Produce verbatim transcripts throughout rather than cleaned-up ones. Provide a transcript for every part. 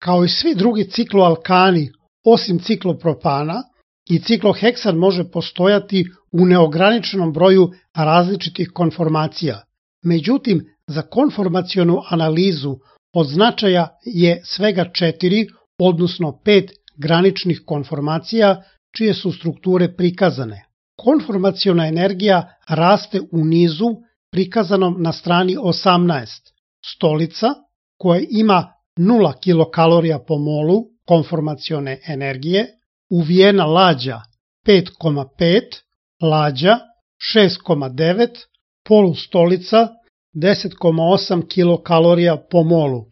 Kao i svi drugi cikloalkani, osim ciklopropana, i cikloheksan može postojati u neograničenom broju različitih konformacija. Međutim, za konformacionu analizu od značaja je svega četiri, odnosno pet graničnih konformacija čije su strukture prikazane. Konformaciona energija raste u nizu prikazanom na strani osamnaest. Stolica, koja ima nula kilokalorija po molu konformacione energije, uvijena lađa pet zarez pet, lađa šest zarez devet, polustolica deset zarez osam kilokalorija po molu.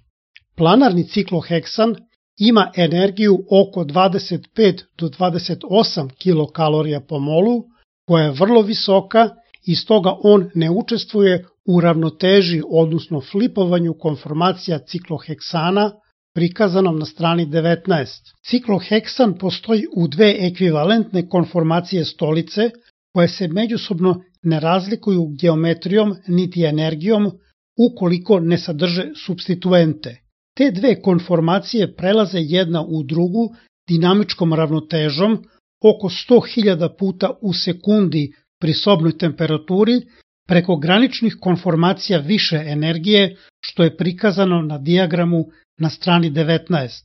Planarni cikloheksan ima energiju oko dvadeset pet do dvadeset osam kilokalorija po molu, koja je vrlo visoka i stoga on ne učestvuje u ravnoteži, odnosno flipovanju konformacija cikloheksana prikazanom na strani devetnaest. Cikloheksan postoji u dve ekvivalentne konformacije stolice koje se međusobno ne razlikuju geometrijom niti energijom ukoliko ne sadrže supstituente. Te dve konformacije prelaze jedna u drugu dinamičkom ravnotežom oko sto hiljada puta u sekundi pri sobnoj temperaturi preko graničnih konformacija više energije, što je prikazano na dijagramu na strani devetnaest.